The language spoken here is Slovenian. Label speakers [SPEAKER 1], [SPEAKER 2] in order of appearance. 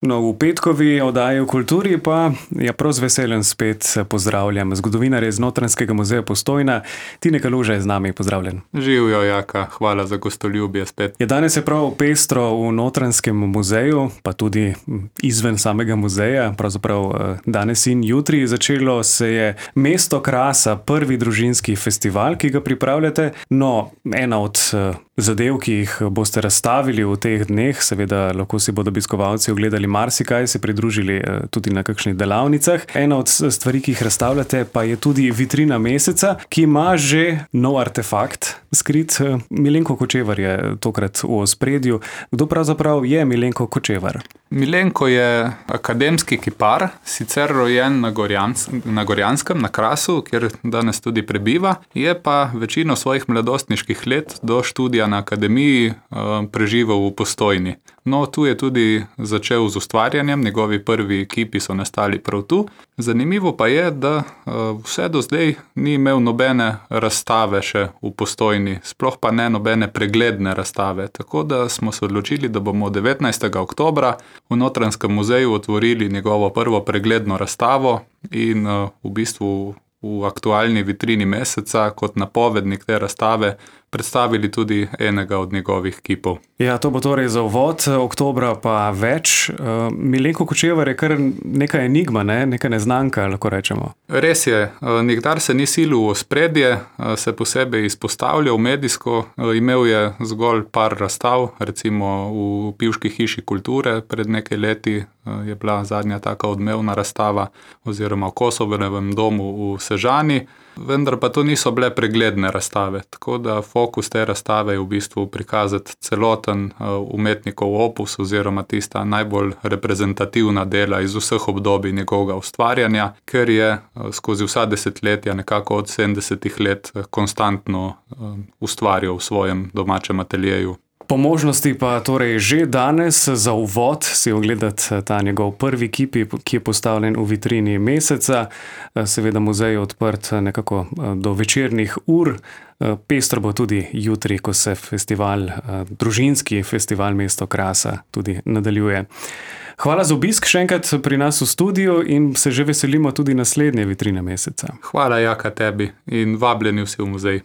[SPEAKER 1] No, v petkovi oddaji v kulturi pa prav z veseljem spet pozdravljam zgodovinarja iz Notranjskega muzeja Postojna. Tine Kaluža je z nami, pozdravljen.
[SPEAKER 2] Živjo, Jaka, hvala za gostoljubje spet.
[SPEAKER 1] Danes je prav pestro v Notranjskem muzeju, pa tudi izven samega muzeja, pravzaprav danes in jutri. Začelo se je Mesto krasa, prvi družinski festival, ki ga pripravljate. No, ena od zadev, ki jih boste razstavili v teh dneh, seveda lahko si bodo obiskovalci ogledali marsikaj, se pridružili tudi na kakšnih delavnicah. Ena od stvari, ki jih razstavljate, pa je tudi vitrina meseca, ki ima že nov artefakt skrit. Milenko Kočevar je tokrat v ospredju. Kdo pravzaprav je Milenko Kočevar?
[SPEAKER 2] Milenko je akademski kipar, sicer rojen na Gorjanskem, na Krasu, kjer danes tudi prebiva. Je pa večino svojih mladostniških let do študija na akademiji preživel v Postojni. No, tu je tudi začel z ustvarjanjem, njegovi prvi kipi so nastali prav tu. Zanimivo pa je, da vse do zdaj ni imel nobene razstave še v Postojni, sploh pa ne nobene pregledne razstave. Tako da smo se odločili, da bomo 19. oktobra v Notranjskem muzeju otvorili njegovo prvo pregledno razstavo in v bistvu v aktualni vitrini meseca kot napovednik te razstave predstavili tudi enega od njegovih kipov.
[SPEAKER 1] Ja, to bo torej za uvod, oktobra pa več. Milenko Kočevar je kar neka enigma, neka neznanka, lahko rečemo.
[SPEAKER 2] Res je, nikdar se ni silil v ospredje, se posebej izpostavljal medijsko, imel je zgolj par razstav, recimo v Pivški hiši kulture pred nekaj leti je bila zadnja taka odmevna razstava, oziroma v Kosovem domu v Sežani, vendar pa to niso bile pregledne razstave, tako da fokus te razstave je v bistvu prikazati celoten umetnikov opus oziroma tista najbolj reprezentativna dela iz vseh obdobij njegovega ustvarjanja, ker je skozi vsa desetletja, nekako od 70 let, konstantno ustvarjal v svojem domačem ateljeju.
[SPEAKER 1] Po možnosti pa torej že danes za uvod si ogledati ta njegov prvi kipi, ki je postavljen v vitrini meseca. Seveda muzej je odprt nekako do večernih ur. Pestro bo tudi jutri, ko se festival, družinski festival Mesto krasa tudi nadaljuje. Hvala za obisk še enkrat pri nas v studiu in se že veselimo tudi naslednje vitrine meseca.
[SPEAKER 2] Hvala, Jaka, tebi in vabljeni vsi v muzej.